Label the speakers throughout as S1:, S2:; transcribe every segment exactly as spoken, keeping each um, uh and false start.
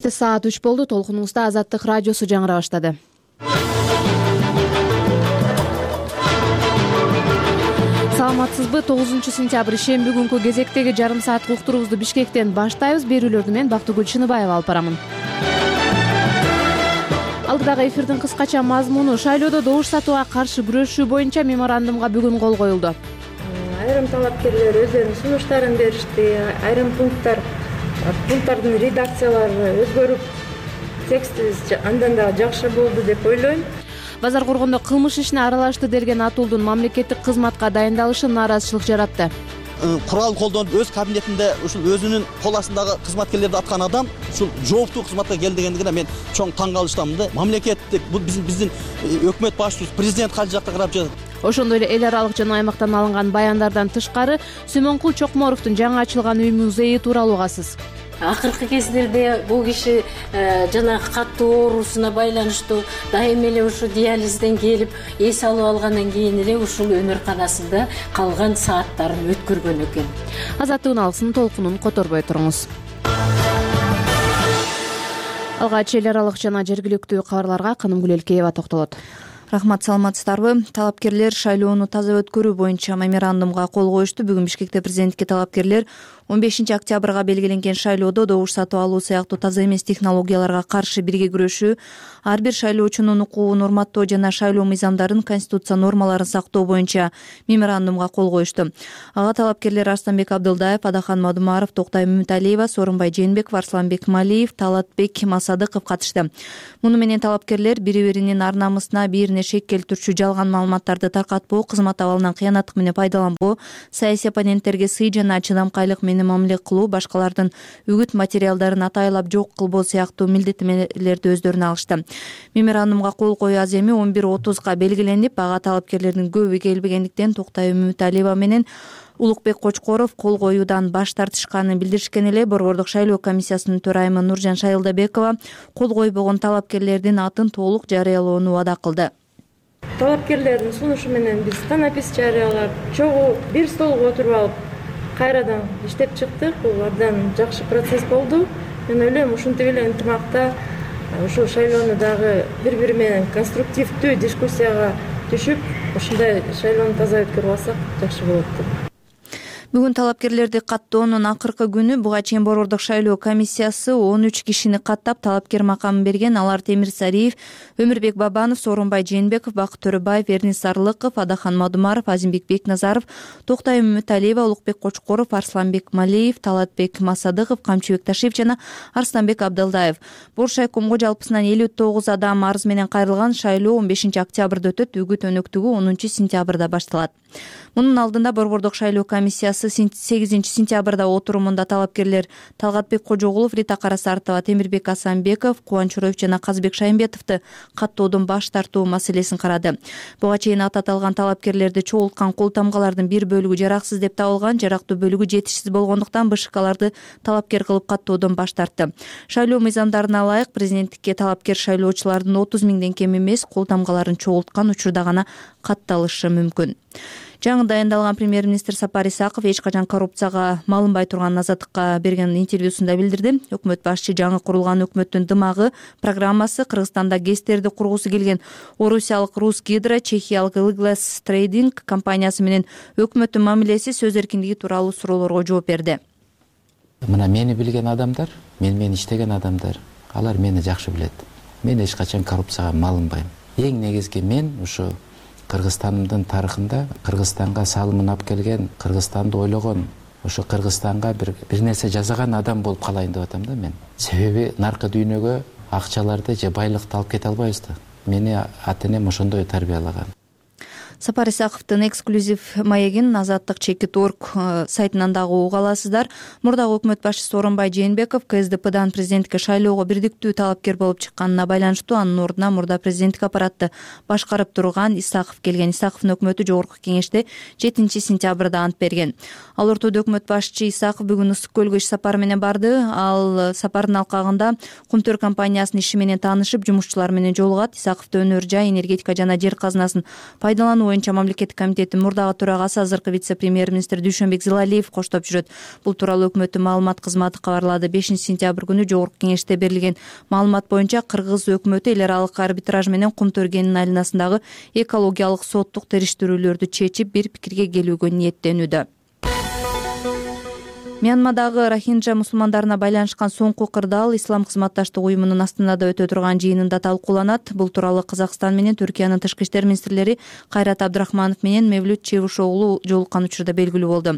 S1: Кечте саат үч болду. Толкунуңузда Азаттык радиосу жаңыра баштады. Саламатсызбы? тогузунчу сентябрь ишемби күнкү кезектеги жарым саат уктуруубузду Бишкектен баштайбыз. Берүүлөрдү мен Бактыгүл Чыныбаева алып барамын. Алдыдагы эфирдин кыскача мазмуну: шайлоодо добуш сатууга каршы күрөшүү боюнча меморандумга бүгүн кол коюлду.
S2: Айрым талапкерлер өздөрүнүн сунуштарын беришти. Айрым пункттар пункттардын редакциялары өзгөрүп, тексти андан да жакшы болду деп ойлойм.
S1: Базар коргондо кылмыш ишине аралашты делген Атуулдун мамлекеттик кызматка дайындалышы нааразычылык жаратты.
S3: Курал колдонуп өз кабинетинде ушул өзүнүн кол астындагы кызматкерлерди аткан адам ушул жооптуу кызматка келди дегендигине мен чоң таң калыштамын да. Мамлекеттик бул биздин биздин өкмөт башчыбыз президент кайсы жакка карап жатат.
S1: Ошондой эле эл аралык жана аймактан алынган баяндардан тышкары Сүймөнкул Чокморовдун жаңы ачылган үй музейи тууралуу угасыз.
S4: Акыркы кездерде бул киши жанагы каттуу оорусуна байланыштуу дайым эле ушу диализден келип эс алып алгандан кийин эле ушул өмүрканасында калган сааттарын өткөргөн экен.
S1: Азаттыгын алсын толкунун которбой туруңуз. Алгач эл аралык жана жергиликтүү кабарларга Канымгүл Элкеева токтолот.
S5: Рахмат, саламатсыздарбы? Талапкерлер шайлоону таза өткөрүү боюнча меморандумга кол коюшту. Бүгүн Бишкекте президентке талапкерлер он бешинчи октябрга белгиленген шайлоодо добуш сатып алуу сыяктуу таза эмес технологияларга каршы бирге күрөшүү, ар бир шайлоочунун укугун урматтоо жана шайлоо мыйзамдарын, конституция нормаларын сактоо боюнча меморандумга кол коюшту. Ага талапкерлер Арстанбек Абдылдаев, Адахан Мадумаров, Токтай Мөмүталиева, Сооронбай Жээнбеков, Арсланбек Малиев, Талатбек Масадыков катышты. Муну менен талапкерлер бири-биринин ар намысына бир шек келтирүүчү жалган маалыматтарды таркатпоо, кызмат абалынан кыянаттык менен пайдаланбоо, саясий оппоненттерге сый жана чыдамкайлык менен мамиле кылуу, башкалардын үгүт материалдарын атайлап жок кылбоо сыяктуу милдеттенмелерди өздөрүнө алышты. Меморандумга кол коюу аз эми он бир отузга белгиленип, ага талапкерлердин көбү келбегендиктен Токтай Мөмүталиева менен Улукбек Кочкоров кол коюудан баш тартышканын билдиришкен эле. Борбордук шайлоо комиссиясынын төрайымы Нуржан Шайылдабекова кол койбогон талапкерлердин атын толук жарыялоону убада кылды.
S2: Талапкерлердин сунушу менен биз танапис жарыялап, чогуу бир столго отуруп алып, кайрадан иштеп чыктык. Бул абдан жакшы процесс болду. Мен ойлойм, ушинтип эле ынтымакта ушул шайлоону дагы бири-бири менен конструктивдүү дискуссияга түшүп, ушундай шайлоону таза өткөрүп алсак жакшы болот деп.
S5: Бүгүн талапкерлерди каттоонун акыркы күнү. Буга чейин борбордук шайлоо комиссиясы он үч кишини каттап талапкер макамын берген. Алар Темир Сариев, Өмүрбек Бабанов, Сооронбай Жээнбеков, Бакыт Төрөбаев, Эрнис Сарлыков, Адахан Мадумаров, Азимбек Бекназаров, Токтай Мөмүталиева, Улукбек Кочкоров, Арсланбек Малиев, Талатбек Масадыков, Камчыбек Ташиев жана Арстанбек Абдылдаев. Боршайкомго жалпысынан элүү тогуз адам арыз менен кайрылган. Шайлоо он бешинчи октябрда өтөт. Үгүт өнөктүгү онунчу сентябрда башталат. Мунун алдында борбордук шайлоо комиссиясы сегизинчи сентябрда отурумунда талапкерлер Талгатбек Кожогулов, Рита Карасартова, Темирбек Асанбеков, Кубанчуроев жана Казбек Шаймбетовду каттоодон баш тартуу маселесин карады. Буга чейин аты аталган талапкерлерди чогулткан кол тамгалардын бир бөлүгү жараксыз деп табылган, жарактуу бөлүгү жетишсиз болгондуктан БШКларды талапкер кылып каттоодон баш тартты. Шайлоо мыйзамдарына ылайык президенттикке талапкер шайлоочулардын отуз миңден кем эмес кол тамгаларын чогулткан учурда гана катталышы мүмкүн. Жаңы дайындалган премьер-министр Сапар Исаков эч качан коррупцияга малынбай турганын Азаттыкка берген интервьюсунда билдирди. Өкмөт башчы жаңы курулган өкмөттүн дымагы программасы Кыргызстанда ГЭСтерди кургусу келген орусиялык Русгидро, чехиялык Ilglass Trading компаниясы менен өкмөттүн мамилеси, сөз эркиндиги тууралуу суроолорго жооп берди.
S6: Мына мени билген адамдар, мен менен иштеген адамдар, алар мени жакшы билет. Мен эч качан коррупцияга малынбайм. Эң негизги мен ушу Кыргызстандын тарыхында Кыргызстанга салымын алып келген, Кыргызстанды ойлогон, ошо Кыргызстанга бир бир нерсе жасаган адам болуп калайын деп атам да мен. Себеби наркы дүйнөгө акчаларды же байлыкты алып кете албайбыз да. Мени ата-энем ошондой тарбиялаган.
S5: Сапар Исаковдун эксклюзив маегин Азаттык чекит точка орг сайтынан дагы уга аласыздар. Мурдагы өкмөт башчысы Сооронбай Жээнбеков КСДПдан президенттикке шайлоого бирдиктүү талапкер болуп чыкканына байланыштуу анын ордуна мурда президенттик аппаратты башкарып турган Исаков келген. Исаковдун өкмөтү жогорку кеңеште жетинчи сентябрда ант берген. Ал ортодо өкмөт башчы Исаков бүгүн Ысык көлгө иш сапары менен барды. Ал сапардын алкагында Кумтөр компаниясынын иши менен таанышып, жумушчулар менен жолугат. Исаковду өнөр жай, энергетика жана жер казынасын пайдалануу боюнча мамлекеттик комитеттин мурдагы төрагасы, азыркы вице-премьер-министр Дүйшөнбек Зилалиев коштоп жүрөт. Бул тууралуу өкмөттүн маалымат кызматы кабарлады. бешинчи сентябрь күнү жогорку кеңеште берилген маалымат боюнча Кыргыз өкмөтү эл аралык арбитраж менен Кум Төргенин айланасындагы экологиялык соттук териштирүүлөрдү чечип, бир пикирге келүүгө ниеттенүүдө. Мьянмадагы рохинджа мусулмандарына байланышкан соңку кырдаал Ислам кызматташтык уюмунун Астанада өтө турган жыйынында талкууланат. Бул тууралуу Казакстан менен Түркиянын тышкы иштер министрлери Кайрат Абдрахманов менен Мевлют Чевушоглу жолуккан учурда белгилүү болду.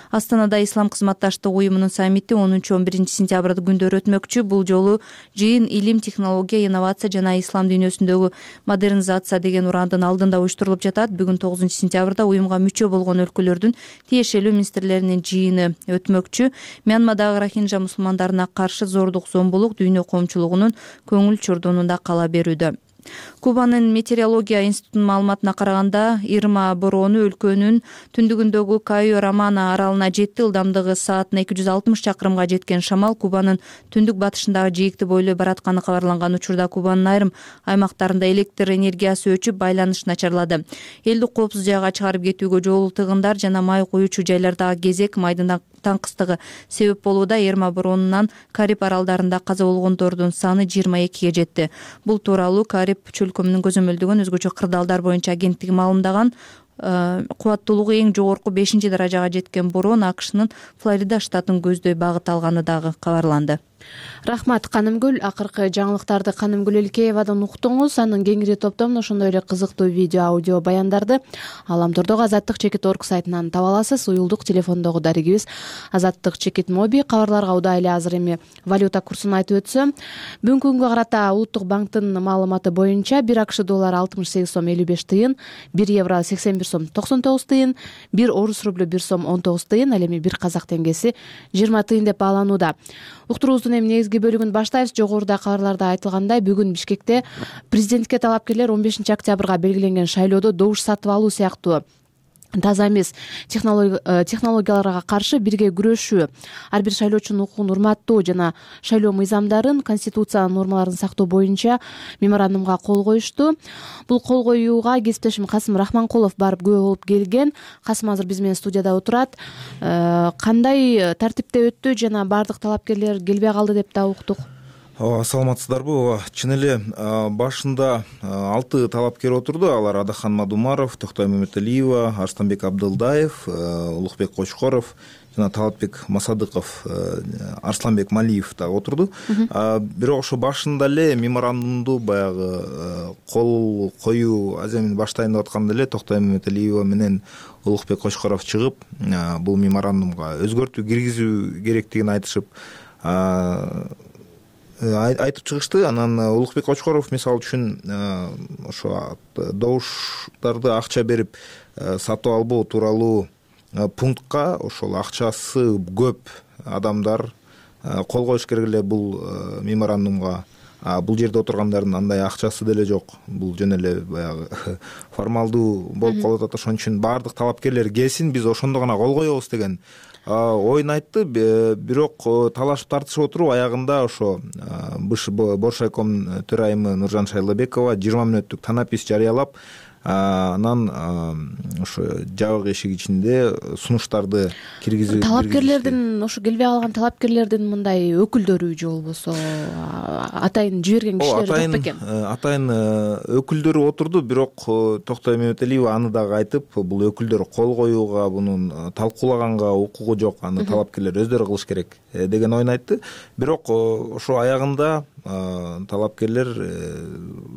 S5: Астанада Ислам кызматташтык уюмунун саммити онунчу он биринчи сентябрь күндөрү өтмөкчү. Бул жолу жыйын илим, технология, инновация жана ислам дүйнөсүндөгү модернизация деген урандын алдында уюштурулуп жатат. Бүгүн тогузунчу сентябрда уюмга мүчө болгон өлкөлөрдүн тиешелүү министрлеринин жыйыны өтмөкчү. Мьянмадагы рохинджа мусулмандарына каршы зордук, зомбулук дүйнө коомчулугунун көңүл чордонунда кала берүүдө. Кубанын метеорология институтунун маалыматына караганда, Ирма бороону өлкөнүн түндүгүндөгү Кайо Романо аралына жетти. Ылдамдыгы саатына эки жүз алтымыш чакырымга жеткен шамал Кубанын түндүк батышындагы жээкти бойлой баратканы кабарланган учурда Кубанын айрым аймактарында электр энергиясы өчүп, байланыш начарлады. Элди коопсуз жайга чыгарып кетүүгө жол тыгындар жана май куючу жайлардагы кезек, майдын таңкыстыгы себеп болууда. Ирма бороонунан Кариб аралдарында каза болгондордун саны жыйырма экиге жетти. Бул тууралуу Кариб чөлкөмүнүн көзөмөлдөгөн өзгөчө кырдаалдар боюнча агенттиги маалымдаган. Кубаттуулугу эң жогорку бешинчи даражага жеткен бороон АКШнын Флорида штатын көздөй багыт алганы дагы кабарланды.
S1: Рахмат, Канымгүл. Акыркы жаңылыктарды Канымгүл Элкеевадан уктуңуз. Анын кеңири топтомун ошондой эле кызыктуу видео, аудио баяндарды Аламтордогу Азаттык чекит орг сайтынан таба аласыз. Уюлдук телефондогу дарегибиз Азаттык чекит моби. Кабарларга удай эле азыр эми валюта курсун айтып өтсөм, бүгүнкү күнгө карата Улуттук банктын маалыматы боюнча бир АКШ доллары алтымыш сегиз сом элүү беш тыйын, бир евро сексен бир сом токсон тогуз тыйын, бир орус рублю бир сом он тогуз тыйын, ал эми бир казак теңгеси жыйырма тыйын деп бааланууда. Уктуруубуздун эми негизги бөлүгүн баштайбыз. Жогоруда кабарларда айтылгандай, бүгүн Бишкекте президентке талапкерлер он бешинчи октябрга белгиленген шайлоодо добуш сатып алуу сыяктуу таза эмес технологияларга каршы бирге күрөшүү, ар бир шайлоочунун укугун урматтоо жана шайлоо мыйзамдарын, конституциянын нормаларын сактоо боюнча меморандумга кол коюшту. Бул кол коюуга кесиптешим Касым Рахманкулов барып күбө болуп келген. Касым азыр биз менен студияда отурат. Кандай тартипте өттү жана бардык талапкерлер келбей калды деп да уктук.
S7: Ооба, саламатсыздарбы? Ооба, чын эле башында алты талапкер отурду. Алар Адахан Мадумаров, Токтой Маматалиева, Арстанбек Абдылдаев, Улукбек Кочкоров жана Талатбек Масадыков, Арсланбек Малиев да отурду. Бирок ошо башында эле меморандумду баягы кол коюу аземин баштайын деп атканда эле Токтой Маматалиева менен Улукбек Кочкоров чыгып, бул меморандумга өзгөртүү киргизүү керектигин айтышып айтып чыгышты. Анан Улукбек Кочкоров мисалы үчүн ошо добуштарды акча берип сатып албоо тууралуу пунктка ошол акчасы көп адамдар кол коюш керек эле бул меморандумга. Бул жерде отургандардын андай акчасы деле жок. Бул жөн эле баягы формалдуу болуп калып атат. Ошон үчүн баардык талапкерлер келсин, биз ошондо гана кол коебуз деген оюн айтты. Бирок талашып тартышып отуруп аягында ошо Боршайком төрайымы Нуржан Шайлабекова жыйырма мүнөттүк танапис жарыялап, анан ошо жабык эшик ичинде сунуштарды киргизүү.
S1: Талапкерлердин, ошо келбей калган талапкерлердин мындай өкүлдөрү же болбосо атайын жиберген кишилер жок бекен?
S7: Атайын өкүлдөрү отурду, бирок Токтой Мематалиева аны дагы айтып, бул өкүлдөр кол коюуга, мунун талкуулаганга укугу жок, аны талапкерлер өздөрү кылыш керек деген оюн айтты. Бирок ошо аягында талапкерлер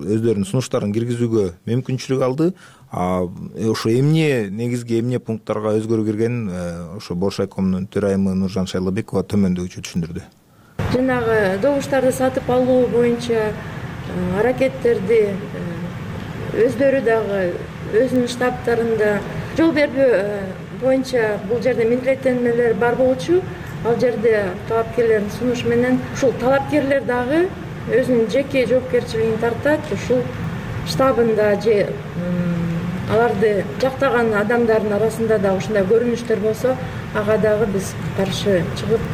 S7: өздөрүнүн сунуштарын киргизүүгө мүмкүнчүлүк алды. Ошо эмне негизги эмне пункттарга өзгөрүү кирген ошо Боршайкомдун төрайымы Нуржан Шайлабекова төмөндөгүчө түшүндүрдү.
S2: Жанагы добуштарды сатып алуу боюнча аракеттерди өздөрү дагы өзүнүн штабтарында жол бербөө боюнча бул жерде милдеттенмелер бар болчу. Ал жерде талапкерлердин сунушу менен ушул талапкерлер дагы өзүнүн жеке жоопкерчилигин тартат. Ушул штабында же аларды жактаган адамдардын арасында да ушундай көрүнүштөр болсо, ага дагы биз каршы чыгып,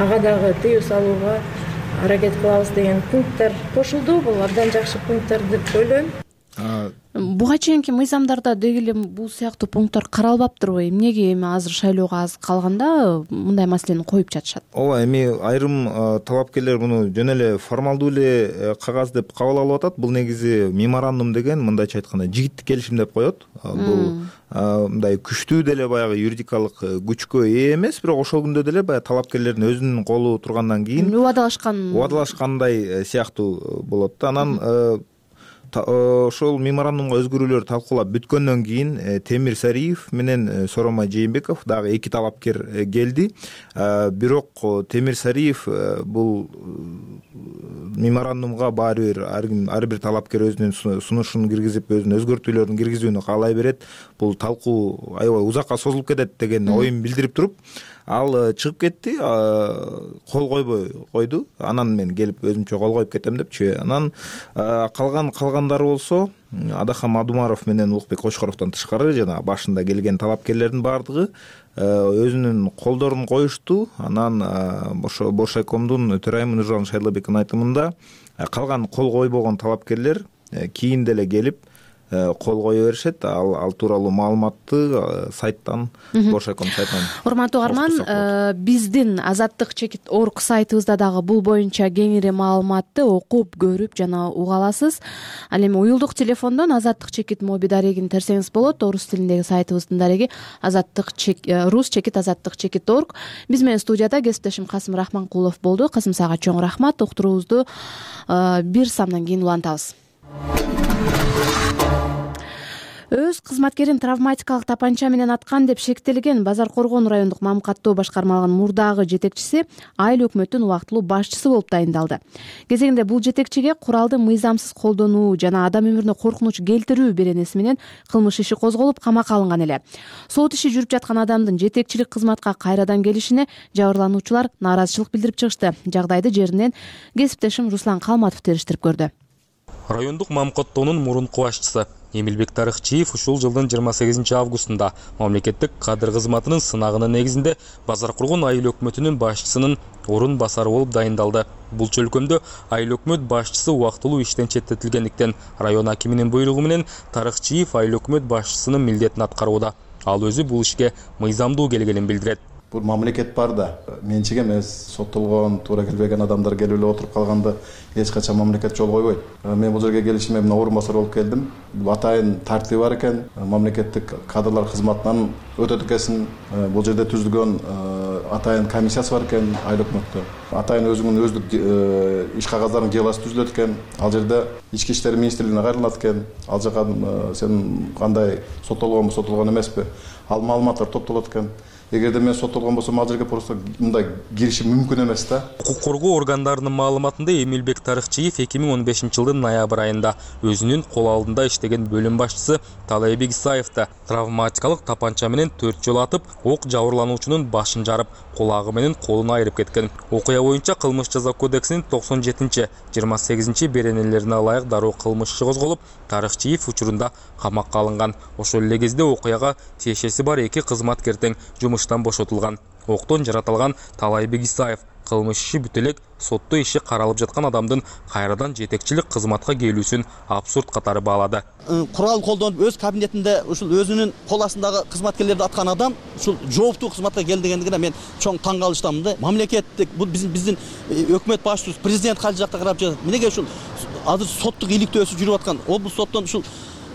S2: ага дагы тыюу салууга аракет кылабыз деген пункттар кошулду. Бул абдан жакшы пункттар деп ойлойм.
S1: Буга чейинки мыйзамдарда деги эле бул сыяктуу пункттар каралбаптырбы? Эмнеге эми азыр шайлоого аз калганда мындай маселени коюп жатышат?
S7: ооба, эми айрым талапкерлер муну жөн эле формалдуу эле кагаз деп кабыл алып атат. Бул негизи меморандум деген, мындайча айтканда, жигиттик келишим деп коет. Бул мындай күчтүү деле баягы юридикалык күчкө ээ эмес, бирок ошол күндө деле баягы талапкерлердин өзүнүн колу тургандан кийин
S1: убадалашкан
S7: убадалашкандай сыяктуу болот да. Анан ошол меморандумга өзгөрүүлөр талкуулап бүткөндөн кийин Темир Сариев менен Сооронбай Жээнбеков дагы эки талапкер келди. Бирок Темир Сариев бул меморандумга баары бир ар бир талапкер өзүнүн сунушун киргизип, өзүнүн өзгөртүүлөрүн киргизүүнү каалай берет. Бул талкуу аябай узакка созулуп кетет деген оюн билдирип туруп, ал чыгып кетти, кол койбой койду. Анан мен келип өзүмчө кол коюп кетем депчи. Анан калган калгандары болсо Адахан Мадумаров менен Улукбек Кочкоровдон тышкары жана башында келген талапкерлердин баардыгы өзүнүн колдорун коюшту. Анан ошо Боршайкомдун төрайымы Нуржан Шайлабековдун айтымында калган кол койбогон талапкерлер кийин деле келип кол кое беришет. Ал ал тууралуу маалыматты сайттан, Боршайком сайтынан.
S1: Урматтуу угарман, биздин Азаттык чекит орг сайтыбызда дагы бул боюнча кеңири маалыматты окуп, көрүп жана уга аласыз. Ал эми уюлдук телефондон Азаттык чекит моби дарегин терсеңиз болот. Орус тилиндеги сайтыбыздын дареги Азаттык рус чекит азаттык чекит орг. Биз менен студияда кесиптешим Касым Рахманкулов болду. Касым, сага чоң рахмат. Уктуруубузду бир самдан кийин улантабыз. Өз кызматкерин травматикалык тапанча менен аткан деп шектелген Базар Коргон райондук мамкаттоо башкармалыгынын мурдагы жетекчиси айыл өкмөттүн убактылуу башчысы болуп дайындалды. Кезегинде бул жетекчиге куралды мыйзамсыз колдонуу жана адам өмүрүнө коркунуч келтирүү беренеси менен кылмыш иши козголуп, камакка алынган эле. Сот иши жүрүп жаткан адамдын жетекчилик кызматка кайрадан келишине жабырлануучулар нааразычылык билдирип чыгышты. Жагдайды жеринен кесиптешим Руслан Калматов териштирип көрдү.
S8: Райондук мамкаттоонун мурунку башчысы Эмилбек Тарыхчиев ушул жылдын жыйырма сегизинчи августунда мамлекеттик кадр кызматынын сынагынын негизинде Базар Коргон айыл өкмөтүнүн башчысынын орун басары болуп дайындалды. Бул чөлкөмдө айыл өкмөт башчысы убактылуу иштен четтетилгендиктен район акиминин буйругу менен Тарыхчиев айыл өкмөт башчысынын милдетин аткарууда. Ал өзү бул ишке мыйзамдуу келгенин билдирет.
S9: Бул мамлекет бар да, менчик эмес, соттолгон, туура келбеген адамдар келип эле отуруп калганда эч качан мамлекет жол койбойт. Мен бул жерге келишиме мына орун басар болуп келдим. Бул атайын тартиби бар экен, мамлекеттик кадрлар кызматынан өтөт экенсин. Бул жерде түзүлгөн атайын комиссиясы бар экен айыл өкмөттө. Атайын өзүнүн өздүк иш кагаздарын жыйыласы түзүлөт экен. Ал жерде ички иштер министрлигине кайрылат экен. Ал жака сен кандай соттолгонбу, соттолгон эмеспи? Ал маалыматтар топтолот экен. Эгерде мен соттолгон болсом, ал жерге просто мындай киришим мүмкүн эмес да.
S8: Укук коргоо органдарынын маалыматында Эмилбек Тарыхчиев эки миң он бешинчи жылдын ноябрь айында өзүнүн кол алдында иштеген бөлүм башчысы Талайбек Исаевди травматикалык тапанча менен төрт жолу атып, ок жабырлануучунун башын жарып, кулагы менен колун айырып кеткен. Окуя боюнча кылмыш жаза кодексинин токсон жетинчи жыйырма сегизинчи беренелерине ылайык дароо кылмыш иши козголуп, Тарыхчиев учурунда камакка алынган. Ошол эле кезде окуяга тиешеси бар эки кызматкер тең жумуштан бошотулган. Октон жаратылган Талайбек Исаев кылмыш иши бүтө элек сотто иши каралып жаткан адамдын кайрадан жетекчилик кызматка келүүсүн абсурд катары баалады.
S3: Курал колдонуп өз кабинетинде ушул өзүнүн кол астындагы кызматкерлерди аткан адам ушул жооптуу кызматка келдигендигине мен чоң таң калыштамын да. Мамлекеттик бул биздин биздин өкмөт башчыбыз президент кайсы жакта карап жатат. Эмнеге ушул азыр соттук иликтөөсү жүрүп аткан облус соттон ушул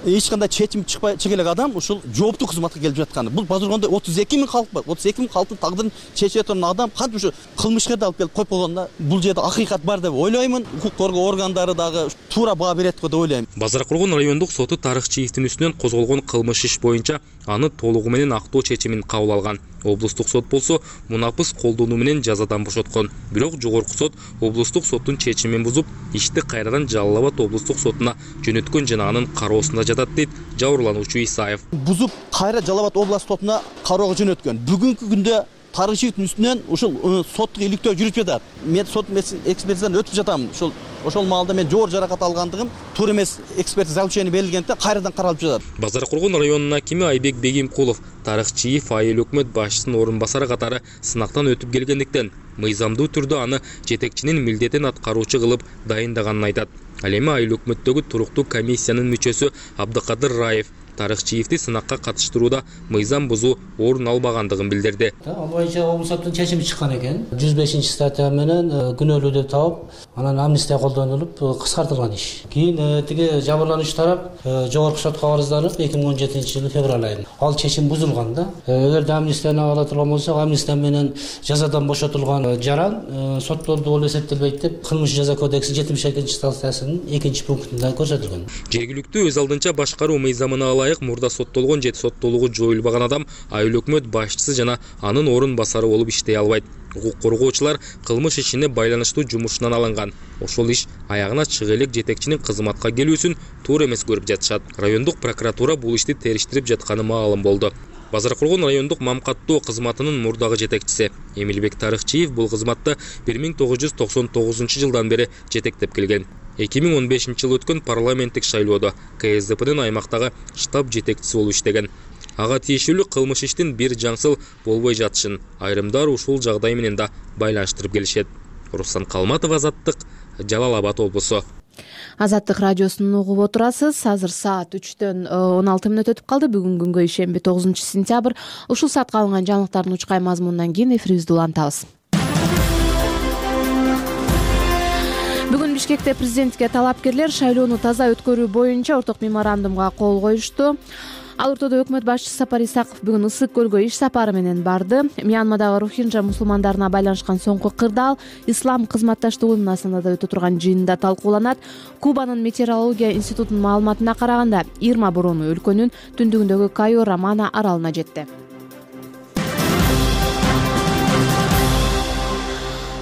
S3: эч кандай чечим чыкпай чыга элек адам ушул жооптуу кызматка келип жатканы. Бул Базар Коргондо отуз эки миң халк бар. отуз эки миң халктын тагдырын чече турган адам кантип ушу кылмышкерди алып келип коюп койгонда бул жерде акыйкат бар деп ойлоймун. Укук коргоо органдары дагы туура баа берет го деп ойлойм.
S8: Базар Коргон райондук соту Тарыхчиевдин үстүнөн козголгон кылмыш иш боюнча аны толугу менен актоо чечимин кабыл алган. Облустук сот болсо мунапыс колдонуу менен жазадан бошоткон. Бирок жогорку сот облустук соттун чечимин бузуп, ишти кайрадан Жалал Абад облустук сотуна жөнөткөн жана анын кароосунда жатат дейт жабырлануучу Исаев.
S3: Бузуп кайра Жалал Абад областык сотуна кароого жөнөткөн. Бүгүнкү күндө Тарыхчиевдин үстүнөн ушул соттук иликтөө жүрүп жатат. Мен сот экспертизадан өтүп жатам. Ошол ошол маалда мен жогору жаракат алгандыгым туура эмес экспертиза заключение берилгендиктен кайрадан каралып жатат.
S8: Базар Коргон районунун акими Айбек Бегимкулов Тарыхчиев айыл өкмөт башчысынын орун басары катары сынактан өтүп келгендиктен мыйзамдуу түрдө аны жетекчинин милдетин аткаруучу кылып дайындаганын айтат. Ал эми айыл өкмөттөгү туруктуу комиссиянын мүчөсү Абдыкадыр Раев тарыхчиевди сынакка катыштырууда мыйзам бузуу орун албагандыгын билдирди.
S10: Ал боюнча облус соттун чечими чыккан экен. жүз бешинчи статья менен күнөөлүү деп табып, анан амнистия колдонулуп кыскартылган иш. Кийин тиги жабырлануучу тарап жогорку сотко арызданып эки миң он жетинчи жылы февраль айында ал чечим бузулган да. Эгерде амнистияны ала турган болсок, амнистия менен жазадан бошотулган жаран соттолду болуп эсептелбейт деп Кылмыш жаза кодексинин жетимиш экинчи статьясынын экинчи пунктунда көрсөтүлгөн.
S8: Жергиликтүү өз алдынча башкаруу мыйзамына ылайык мурда соттолгон же соттолугу жоюлбаган адам айыл өкмөт башчысы жана анын орун басары болуп иштей албайт. Укук коргоочулар кылмыш ишине байланыштуу жумушунан алынган. Ошол иш аягына чыга элек жетекчинин кызматка келүүсүн туура эмес көрүп жатышат. Райондук прокуратура бул ишти териштирип жатканы маалым болду. Базаркулгун райондук мамкаттоо кызматынын мурдагы жетекчиси Эмилбек Тарыхчиев бул кызматты бир миң тогуз жүз токсон тогузунчу жылдан бери жетектеп келген. эки миң он бешинчи жылы өткөн парламенттик шайлоодо К С Д П'нин аймактагы штаб жетекчиси болуп иштеген. Ага тиешелүү кылмыш иштин бир жаңсыл болбой жатышын айрымдар ушул жагдай менен да байланыштырып келишет. Руслан Калматов, Азаттык, Жалал Абад облусу.
S1: Азаттык радиосун угуп отурасыз. Азыр саат үчтөн он алты мүнөт өтүп калды. Бүгүн күнгө ишемби тогузунчу сентябрь. Ушул саатка алынган жаңылыктардын учкай мазмунунан кийин эфирибизди улантабыз. Бүгүн Бишкекте президентке талапкерлер шайлоону таза өткөрүү боюнча орток меморандумга кол коюшту. Ал ортодо өкмөт башчысы Сапар Исаков бүгүн Ысык көлгө иш сапары менен барды. Мьянмадагы рохинджа мусулмандарына байланышкан соңку кырдаал Ислам кызматташтыгы уюмунда да өтө турган жыйында талкууланат. Кубанын метеорология институтунун маалыматына караганда, Ирма бороону өлкөнүн түндүгүндөгү Кайо Рамана аралына жетти.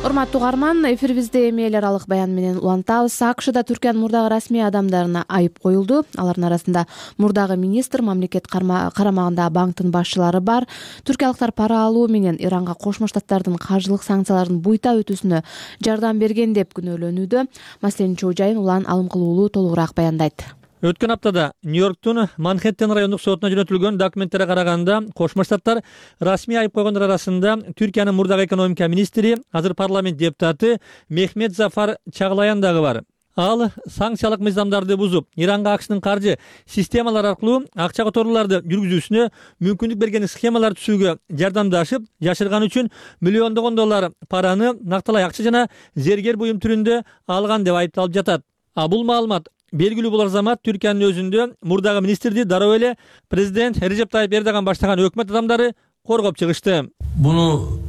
S1: Урматтуу угарман, эфирибизде эми эл аралык баян менен улантабыз. АКШда Түркиянын мурдагы расмий адамдарына айып коюлду. Алардын арасында мурдагы министр, мамлекет карамагындагы банктын башчылары бар. Түркиялыктар пара алуу менен Иранга Кошмо Штаттардын каржылык санкцияларын буйта өтүүсүнө жардам берген деп күнөөлөнүүдө. Маселенин чоо жайын Улан Алымкулуулу толугураак баяндайт.
S11: Өткөн аптада Нью-Йорктун Манхэттен райондук сотуна жөнөтүлгөн документтерге караганда, Кошмо Штаттар расмий айып койгондор арасында Түркиянын мурдагы экономика министри, азыр парламент депутаты Мехмет Зафар Чаглаян дагы бар. Ал санкциялык мыйзамдарды бузуп, Иранга АКШнын каржы системалары аркылуу акча которууларды жүргүзүүсүнө мүмкүндүк берген схемалар түзүүгө жардамдашып, жашырган үчүн миллиондогон доллар параны накталай акча жана зергер буюм түрүндө алган деп айыпталып жатат. А бул маалымат белгилүү болор замат Түркиянын өзүндө мурдагы министрди дароо эле президент Режеп Тайип Эрдоган баштаган өкмөт адамдары коргоп чыгышты.
S12: Буну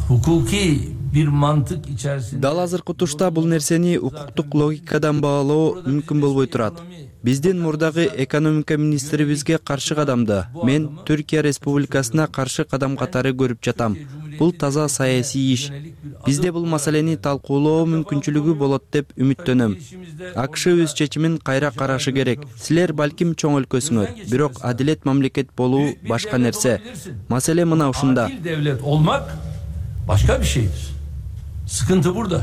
S12: hukuki bir mantık içerisinde
S13: Дал азыркы тушта бул нерсени укуктук логикадан баалоо мүмкүн болбой турат. Биздин мурдагы экономика министрибизге каршы кадамды мен Түркия Республикасына каршы кадам катары көрүп жатам. Бул таза саясий иш. Бизде бул маселени талкуулоо мүмкүнчүлүгү болот деп үмүттөнөм. АКШ өз чечимин кайра карашы керек. Силер балким чоң өлкөсүңөр, бирок адилет мамлекет болуу башка нерсе. Маселе мына ушунда.
S12: Devlet olmak başka bir şeydir. Sıkıntı burada.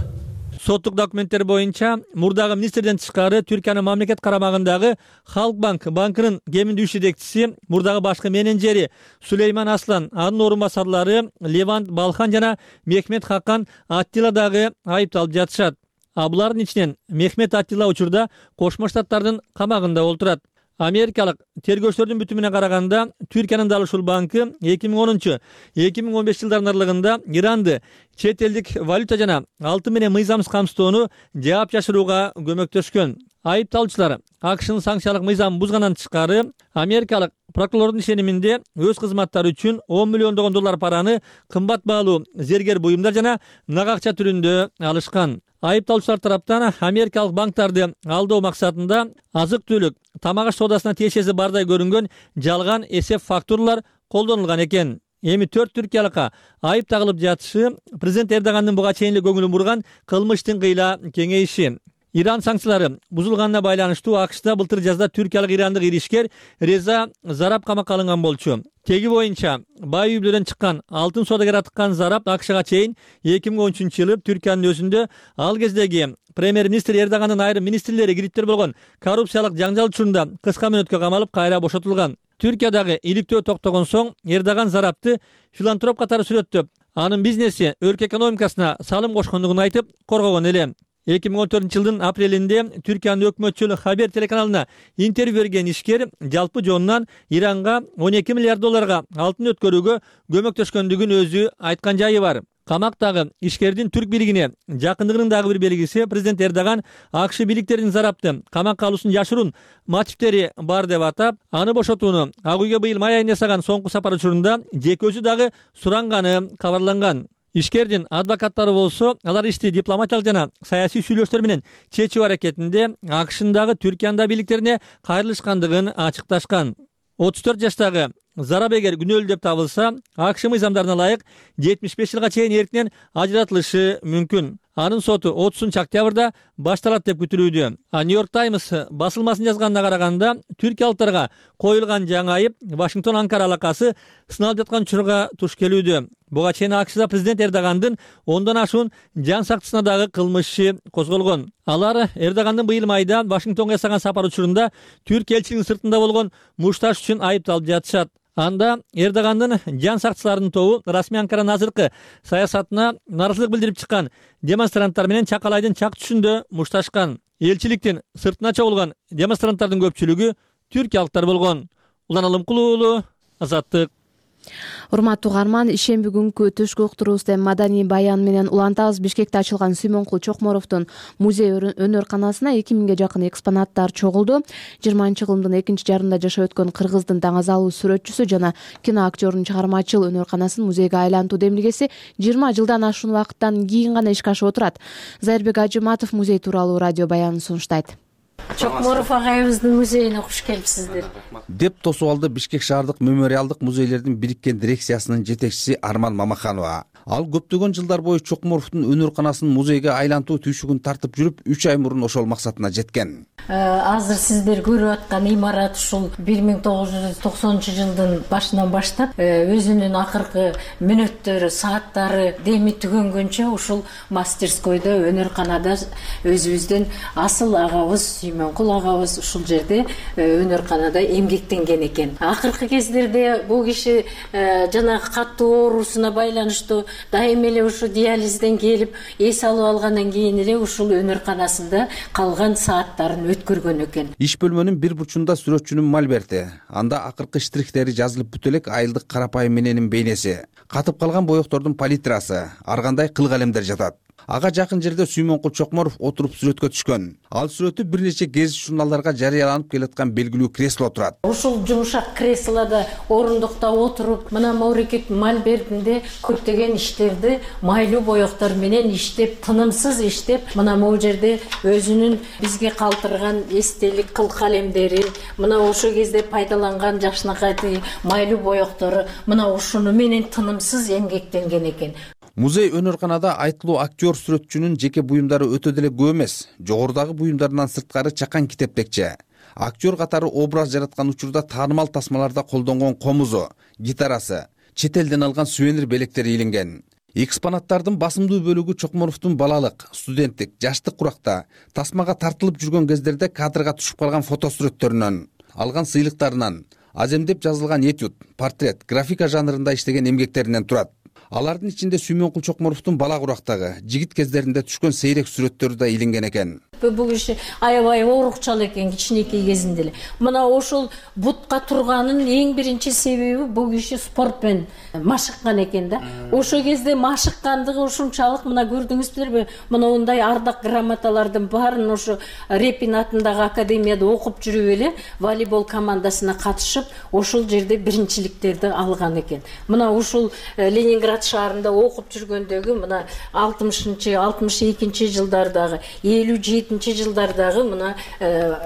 S11: Соттук документтер боюнча мурдагы министрден тышкары Түркиянын мамлекет карамагындагы Халкбанк банкынын кеминдүү иш жетекчиси, мурдагы башкы менеджери Сулейман Аслан, анын орун басарлары Левант Балхан жана Мехмет Хакан Аттила дагы айыпталып жатышат. А булардын ичинен Мехмет Аттила учурда Кошмо Штаттардын камагында олтурат. Америкалык тергөөчүлөрдүн бүтүмүнө караганда, Түркиянын дал ушул банкы эки миң онунчу — эки миң он беш жылдардын аралыгында Иранды чет элдик валюта жана алтын менен мыйзамсыз камсыздоону жаап жашырууга көмөктөшкөн. Айыпталуучулар АКШнын санкциялык мыйзамын бузгандан тышкары, америкалык прокурордун ишениминде өз кызматтары үчүн он миллиондогон доллар параны кымбат баалуу зергер буюмдар жана нак акча түрүндө алышкан. Айыпталуучулар тараптан америкалык банктарды алдоо максатында азык-түлүк, тамак-аш соодасына тиешеси бардай көрүнгөн жалган эсеп фактуралар колдонулган экен. Эми төрт түркиялыкка айып тагылып жатышы президент Эрдогандын буга чейин эле көңүлүн бурган кылмыштын кыйла кеңейиши. Иран санкциялары бузулганына байланыштуу АКШда былтыр жазда түркиялык ирандык иришкер Реза Зараб камакка алынган болчу. Теги боюнча бай үй бүлөдөн чыккан алтын соодагер атыккан Зараб АКШга чейин эки миң он үчүнчү жылы Түркиянын өзүндө ал кездеги премьер-министр Эрдогандын айрым министрлери кириптер болгон коррупциялык жаңжал учурунда кыска мөөнөткө камалып кайра бошотулган. Түркиядагы иликтөө токтогон соң Эрдоган Зарабты филантроп катары сүрөттөп, анын бизнеси өлкө экономикасына салым кошкондугун айтып коргогон эле. эки миң он төртүнчү жылдын апрелинде Түркиянын өкмөтчүл Хабер телеканалына интервью берген ишкер жалпы жонунан Иранга он эки миллиард долларга алтын өткөрүүгө көмөктөшкөндүгүн өзү айткан жайы бар. Камактагы ишкердин түрк бийлигине жакындыгынын дагы бир белгиси президент Эрдоган АКШ бийликтеринин зарапты камакка алуусунун жашыруун мотивдери бар деп атап, аны бошотууну Ак үйгө быйыл май айында жасаган соңку сапар учурунда жеке өзү дагы суранганы кабарланган. Ишкердин адвокаттары болсо, алар ишти дипломатиялык жана саясий сүйлөшүүлөр менен чечүү аракетинде АКШнын дагы Түркиянда бийликтерине кайрылышкандыгын ачыкташкан. отуз төрт жаштагы Зарап эгер күнөөлүү деп табылса, АКШ мыйзамдарына ылайык жетимиш беш жылга чейин эркинен ажыратылышы мүмкүн. Анын соту отузунчу октябрда башталат деп күтүлүүдө. А Нью-Йорк Таймс басылмасынын жазганына караганда, түркиялыктарга коюлган жаңы айып Вашингтон-Анкара алакасы сыналып жаткан учурга туш келүүдө. Буга чейин АКШда президент Эрдогандын ондон ашуун жан сактысына дагы кылмышы козголгон. Алар Эрдогандын быйыл майда Вашингтонго жасаган сапар учурунда Түрк элчилигинин сыртында болгон мушташ үчүн айыпталып жатышат. Анда Эрдогандын жан сактчыларынын тобу расмий Анкаранын азыркы саясатына нааразычылык билдирип чыккан демонстранттар менен Чакалайдын чак түшүндө мушташкан. Элчиликтин сыртына чогулган демонстранттардын көпчүлүгү түркиялыктар болгон. Улан Алымкулуу уулу, Азаттык.
S1: Урматтуу угарман, ишемби күнкү түшкү уктуруубузда маданий баян менен улантабыз. Бишкекте ачылган Сүймөнкул Чокморовдун музей өнөр-канасына эки миңге жакын экспонаттар чогулду. жыйырманчы кылымдын экинчи жарымында жашап өткөн Кыргыздын таңазалуу сүрөтчүсү жана кино актёрунун чыгармачыл өнөр-канасын музейге айлантуу демилгеси жыйырма жылдан ашуун убакыттан кийин гана ишке ашып отурат. Зайырбек Ажыматов музей тууралуу радио баянын сунуштайт.
S4: Чокморов агайыбыздын музейине куш келипсиздер
S14: деп тосуп алды Бишкек шаардык мемориалдык музейлердин бириккен дирекциясынын жетекчиси Арман Мамаханова. Ал көптөгөн жылдар бою Чокморовдун өнөр-канасын музейге айлантуу түйшүгүн тартып жүрүп, үч ай мурун ошол максатына жеткен.
S4: Азыр сиздер көрүп аткан имарат ушул бир миң тогуз жүз токсонунчу жылдын башынан баштап өзүнүн акыркы мүнөттөрү, сааттары деми түгөнгөнчө ушул мастерскойдо, өнөр-канада өзүбүздүн асыл агабыз Сүймөнкул агабыз ушул жерде өнөр-канада эмгектенген экен. Акыркы кездерде бул киши жанагы каттуу оорусуна байланыштуу дайыма эле ушу диализден келип, эс алып алгандан кийин эле ушул өнөр-канасында калган сааттарын өткөргөн экен.
S14: Иш бөлмөнүн бир бурчунда сүрөтчүнүн мольберти, анда акыркы штрихтери жазылып бүтө элек айылдык карапайым мененин бейнеси, катып калган боектордун палитрасы, ар кандай кыл калемдер жатат. Ага жакын жерде Сүймөнкул Чокморов отуруп сүрөткө түшкөн. Ал сүрөтү бир нече гезит журналдарга жарыяланып келаткан белгилүү кресло турат.
S4: Ушул жумшак креслода орундукта отуруп, мына Маурекет мольбертинде көптөгөн иштерди майлуу боектор менен иштеп, тынымсыз иштеп, мына могу жерде өзүнүн бизге калтырган эстелик кыл калемдери, мына ошол кезде пайдаланган жакшынакай майлуу боектору, мына ушуну менен тынымсыз эмгектенген экен.
S14: Музей өнөр-канада айтылуу актер сүрөтчүнүн жеке буюмдары өтө деле көп эмес. Жогорудагы буюмдарынан сырткары чакан китептекче. Актер катары образ жараткан учурда таанымал тасмаларда колдонгон комузу, гитарасы, чет элден алган сувенир белектери илинген. Экспонаттардын басымдуу бөлүгү Чокморовдун балалык, студенттик, жаштык куракта тасмага тартылып жүргөн кездерде кадрга түшүп калган фотосүрөттөрүнөн, алган сыйлыктарынан, аземдеп жазылган этюд, портрет, графика жанрында иштеген эмгектеринен турат. Алардын ичинде Сүймөнкул Чокморовдун бала курактагы, жигит кездеринде түшкөн сейрек сүрөттөрү да илинген экен.
S4: Бул киши аябай оорукчал экен кичинекей кезинде эле. Мына ошол бутка турганын эң биринчи себеби бул киши спортмен машыккан экен да. Ошол кезде машыккандыгы ушунчалык, мына көрдүңүздөрбү, мына мындай ардак грамоталардын баарын ошо Репин атындагы академияда окуп жүрүп эле волейбол командасына катышып, ошол жерде биринчиликтерди алган экен. Мына ушул Ленинград шаарында окуп жүргөндөгү мына алтымышынчы алтымыш экинчи жылдардагы элүү жетинчи жылдардагы мына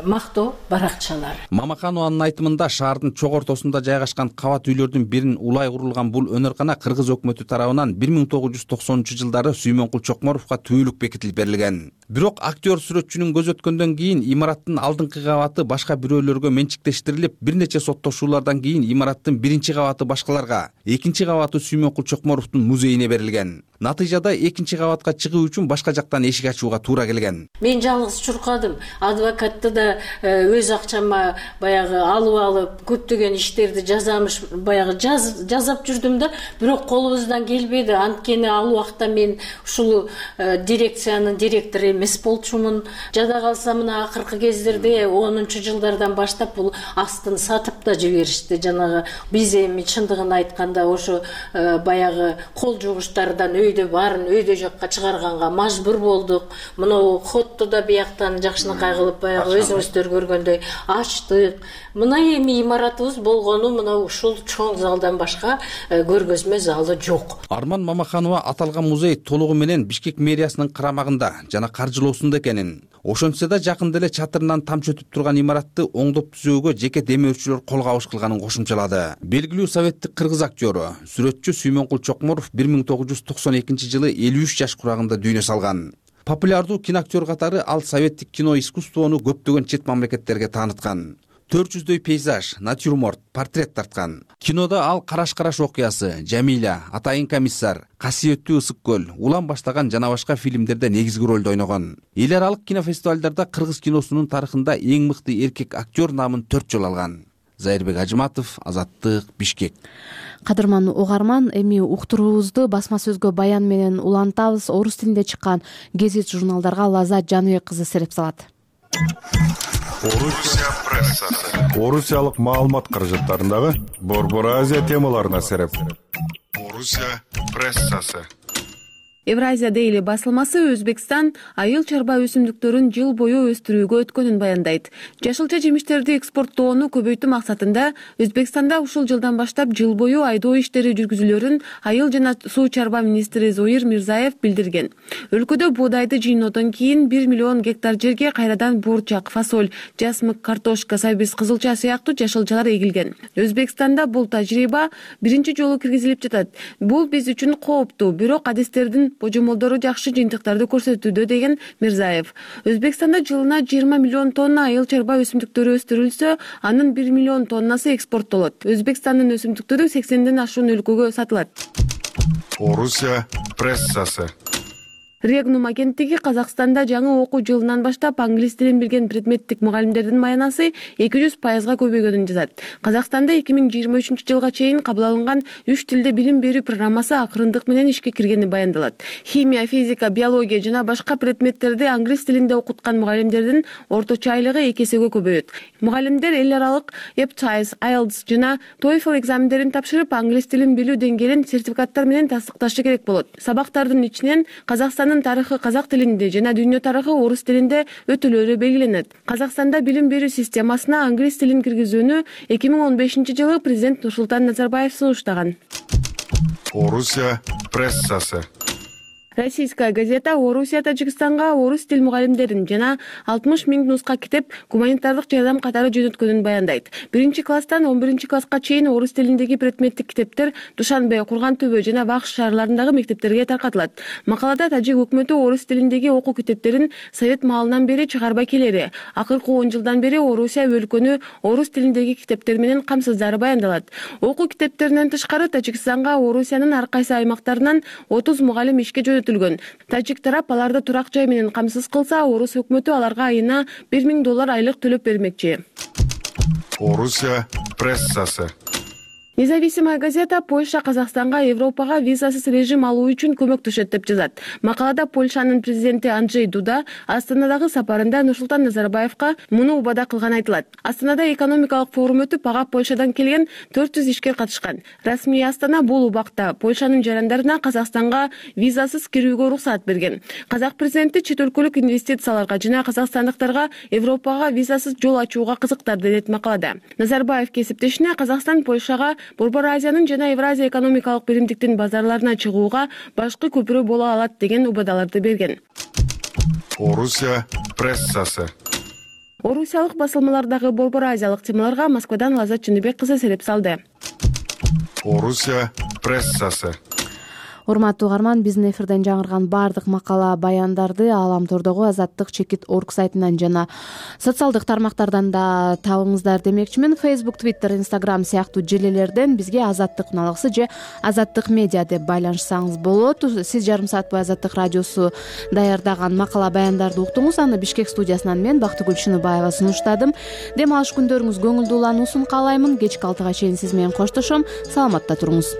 S4: мактоо баракчалары.
S14: Мамаханованын айтымында шаардын чок ортосунда жайгашкан кабат үйлөрдүн бирин улай курулган бул өнөр-кана кыргыз өкмөтү тарабынан бир миң тогуз жүз токсонунчу жылдары Сүймөнкул Чокморовго түбөлүк бекитилип берилген. Бирок актер сүрөтчүнүн көз өткөндөн кийин имараттын алдыңкы кабаты башка бирөөлөргө менчиктештирилип, бир нече соттошуулардан кийин имараттын биринчи кабаты башкаларга, экинчи кабаты Сүймөнкул Чокморовдун музейине берилген. Натыйжада экинчи кабатка чыгуу үчүн башка жактан эшик ачууга туура келген.
S4: Мен жалгыз чуркадым. Адвокатты да өз акчама баягы алып алып көптөгөн иштерди жазамыш баягы жазап жүрдүм да, бирок колубуздан келбеди. Анткени ал убакта мен ушул дирекциянын директору эмес болчумун. Жада калса мына акыркы кездерде онунчу жылдардан баштап бул астын сатып да жиберишти. Жанагы биз эми чындыгын айтканда ошо баягы кол жугуштардан өйдө баарын өйдө жакка чыгарганга мажбур болдук. Мына хотту да бияктан жакшынакай кылып баягы өзүңүздөр көргөндөй ачтык. Мына эми имаратыбыз болгону мына ушул чоң залдан башка көргөзмө залы жок.
S14: Арман Мамаханова аталган музей толугу менен Бишкек мэриясынын карамагында жана каржылоосунда экенин, ошентсе да жакында эле чатырынан тамчы өтүп турган имаратты оңдоп түзөөгө жеке демөөрчүлөр кол кабыш кылганын кошумчалады. Белгилүү советтик кыргыз актеру, сүрөтчү Сүймөнкул Чокморов бир миң тогуз жүз токсон экинчи жылы элүү үч жаш курагында дүйнө салган. Популярдуу киноактер катары ал советтик кино искусствону көптөгөн чет мамлекеттерге тааныткан. төрт жүздөй пейзаж, натюрморт, портрет тарткан. Кинода ал Караш-караш окуясы, Жамиля, Атайын комиссар, Касиеттүү ысык көл, Улан баштаган жана башка фильмдерде негизги ролду ойногон. Эл аралык кинофестивалдарда кыргыз киносунун тарыхында эң мыкты эркек актер наамын төрт жолу алган. Зайырбек Ажыматов, Азаттык, Бишкек.
S1: Кадырман угарман, эми уктуруубузду басма сөзгө баян менен улантабыз. Орус тилинде чыккан гезит журналдарга Лазат Жаныбек кызы сереп салат.
S15: Орусия прессасы. Орусиялык маалымат каражаттарындагы Борбор Азия темаларына сереп. Орусия прессасы.
S16: Евразия Дейли басылмасы Өзбекстан айыл чарба өсүмдүктөрүн жыл бою өстүрүүгө өткөнүн баяндайт. Жашылча жемиштерди экспорттоону көбөйтүү максатында Өзбекстанда ушул жылдан баштап жыл бою айдоо иштери жүргүзүлөрүн айыл жана суу чарба министри Зоир Мирзаев билдирген. Өлкөдө боодайды жыйноодон кийин бир миллион гектар жерге кайрадан бурчак, фасоль, жасмык, картошка, сабиз, кызылча сыяктуу жашылчалар эгилген. Өзбекстанда бул тажрыйба биринчи жолу киргизилип жатат. Бул биз үчүн кооптуу, бирок адистердин божомолдору жакшы жыйынтыктарды көрсөтүүдө, деген Мирзаев. Өзбекстанда жылына жыйырма миллион тонна айыл чарба өсүмдүктөрү өстүрүлсө, анын бир миллион тоннасы экспорттолот. Өзбекстандын өсүмдүктөрү сексенден ашуун өлкөгө сатылат.
S15: Орусия прессасы.
S16: Регнум агенттиги Казакстанда жаңы окуу жылынан баштап англис тилин билген предметтик мугалимдердин маянасы эки жүз пайызга көбөйгөнүн жазат. Казакстанда эки миң жыйырма үчүнчү жылга чейин кабыл алынган үч тилде билим берүү программасы акырындык менен ишке киргени баяндалат. Химия, физика, биология жана башка предметтерди англис тилинде окуткан мугалимдердин орточо айлыгы эки эсеге көбөйөт. Мугалимдер эл аралык и эл ти ай эс, ай и эл ти эс жана TOEFL экзамендерин тапшырып, англис тилин билүү деңгээлин сертификаттар менен тастыкташы керек болот. Сабактардын ичинен Казакстандын тарыхы казак тилинде жана дүйнө тарыхы орус тилинде өтүүлөрү белгиленет. Казакстанда билим берүү системасына англис тилин киргизүүнү эки миң он бешинчи жылы президент Нурсултан Назарбаев сунуштаган.
S15: Орусия прессасы.
S16: Российская газета Орусия Тажикстанга орус тил мугалимдерин жана алтымыш миң нуска китеп гуманитардык жардам катары жөнөткөнүн баяндайт. Биринчи класстан он биринчи класска чейин орус тилиндеги предметтик китептер Душанбе, Курган Төбө жана Бакш шаарларындагы мектептерге таркатылат. Макалада тажик өкмөтү орус тилиндеги окуу китептерин совет маалынан бери чыгарбай келери. Акыркы он жылдан бери Орусия өлкөнү орус тилиндеги китептер менен камсыздары баяндалат. Окуу китептеринен тышкары Тажикстанга Орусиянын ар кайсы аймактарынан отуз мугалим ишке жөнөтүлгөн. Тажик тарап аларды турак жай менен камсыз кылса, орус өкмөтү аларга айына бир миң доллар айлык төлөп бермекчи.
S15: Орусия прессасы.
S16: Независимая газета Польша Казакстанга Европага визасыз режим алуу үчүн көмөктөшөт деп жазат. Макалада Польшанын президенти Анджей Дуда Астанадагы сапарында Нурсултан Назарбаевка муну убада кылганы айтылат. Астанада экономикалык форум өтүп, ага Польшадан келген төрт жүз ишкер катышкан. Расмий Астана бул убакта Польшанын жарандарына Казакстанга визасыз кирүүгө уруксат берген. Казак президенти чет өлкөлүк инвестицияларга жана казакстандыктарга Европага визасыз жол ачууга кызыктарды, дейт макалада. Назарбаев кесиптешине Казакстан Польшага Борбор Азиянын жана Евразия экономикалык биримдиктин базарларына чыгууга башкы көпүрө боло алат деген убадаларды берген.
S15: Орусия прессасы.
S16: Орусиялык басылмалардагы Борбор Азиялык темаларга Москвадан Лазат Жаныбек кызы сереп салды.
S15: Орусия прессасы.
S1: урматтуу угарман, биздин эфирден жаңырган баардык макала баяндарды Ааламтордогу Азаттык чекит орг сайтынан жана социалдык тармактардан да табыңыздар демекчимин. Facebook, Twitter, Instagram сыяктуу желелерден бизге Азаттык налыксы же Азаттык медиа деп байланышсаңыз болот. Сиз жарым саат бою Азаттык радиосу даярдаган макала баяндарды уктуңуз. Аны Бишкек студиясынан мен Бактыгүл Шыныбаева сунуштадым. Дем алыш күндөрүңүз көңүлдүү улануусун каалаймын. Кечки алтыга чейин сиз менен коштошом. Саламатта туруңуз.